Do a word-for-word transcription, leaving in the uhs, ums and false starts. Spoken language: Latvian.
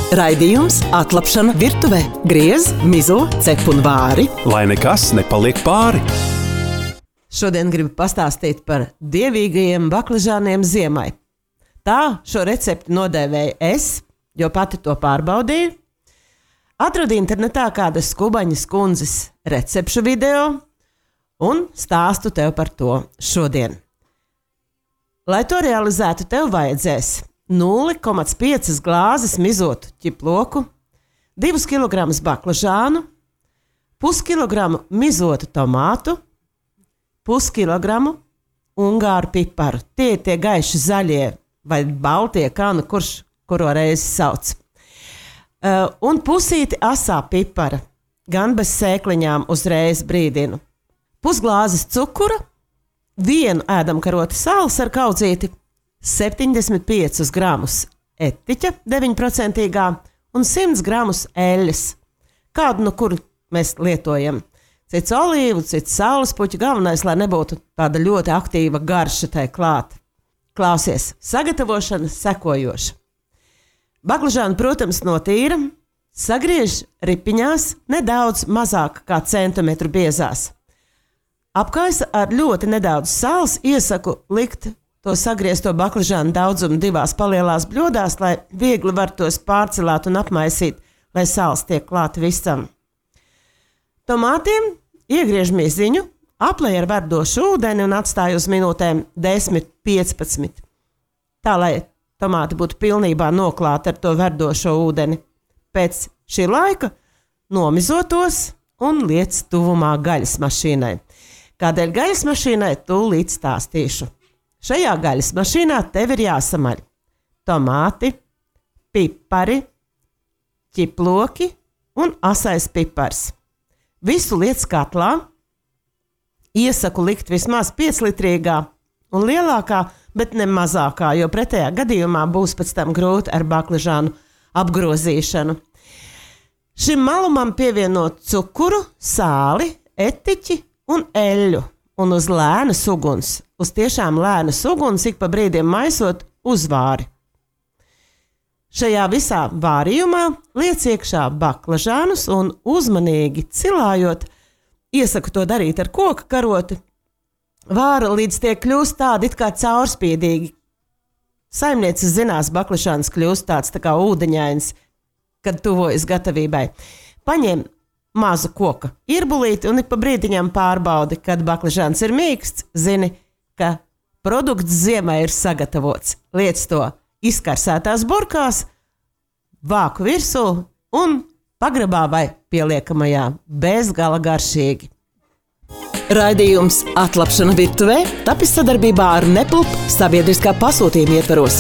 Raidījums Atlapšana virtuvē. Griez, mizo, cep un vāri. Lai nekas nepaliek pāri. Šodien gribu pastāstīt par dievīgajiem baklažāniem ziemai. Tā šo recepti nodēvēju es, jo pati to pārbaudīju. Atradu internetā kādas Kubaņas kundzes recepšu video un stāstu tev par to šodien. Lai to realizētu, tev vajadzēs nulle komats piecas glāzes mizotu ķiploku, divus kilogramus baklažānu, puskilogramu mizotu tomātu, puskilogramu ungāru piparu. Tie ir tie gaiši zaļie vai baltie, kā nu kurš kuro reizi sauc. Uh, un pusīti asā pipara, gan bez sēkliņām uzreiz brīdinu. Pusglāzes cukura, vienu ēdamkaroti sāls ar kaudzīti, septiņdesmit piecus gramus etiķa deviņi procenti un simt gramus eļļas. Kādu no kur mēs lietojam? Cits olīvu, cits saules puķu, galvenais, lai nebūtu tāda ļoti aktīva garša tai klāt. Klausies, sagatavošana sekojoša. Baklažānu, protams, notīra, sagriež ripiņās nedaudz mazāk kā centimetru biezās. Apkaisa ar ļoti nedaudz sāls, iesaku likt to sagriezto baklažānu daudzumu divās palielās bļodās, lai viegli var tos pārcelāt un apmaisīt, lai sāls tiek klāt visam. Tomātiem iegriež miziņu, aplej ar verdošu ūdeni un atstāj uz minūtēm desmit piecpadsmit. Tā, lai tomāti būtu pilnībā noklāti ar to verdošo ūdeni. Pēc šī laika nomizotos un liec tuvumā gaļas mašīnai. Kādēļ gaļas mašīnai tūlīt stāstīšu. Šajā gaļas mašīnā tev ir jāsamaļ tomāti, pipari, ķiploki un asais pipars. Visu liec katlā, iesaku likt vismaz pieclitrīgā un lielākā, bet ne mazākā, jo pretējā gadījumā būs pēc tam grūti ar baklažānu apgrozīšanu. Šim malumam pievienot cukuru, sāli, etiķi un eļļu. Un uz lēnas uguns, uz tiešām lēnas uguns, ik pa brīdiem maisot uzvāri. Šajā visā vārījumā liec iekšā baklažānus un uzmanīgi cilājot, iesaku to darīt ar koka karoti, vāra līdz tie kļūst tādi it kā caurspīdīgi. Saimnieces zinās, baklažāns kļūst tāds tā kā ūdeņains, kad tuvojas gatavībai. Paņem mazu koka irbulīti un ik pa brīdiņam pārbaudi, kad baklažāns ir mīksts, zini, ka produkts ziemai ir sagatavots. Liec to izkarsētās burkās, vāku virsū un pagrabā vai pieliekamajā bezgala garšīgi. Raidījums Atlapšana virtuvē tapis sadarbībā ar Nepulp sabiedriskā pasūtījuma ietvaros.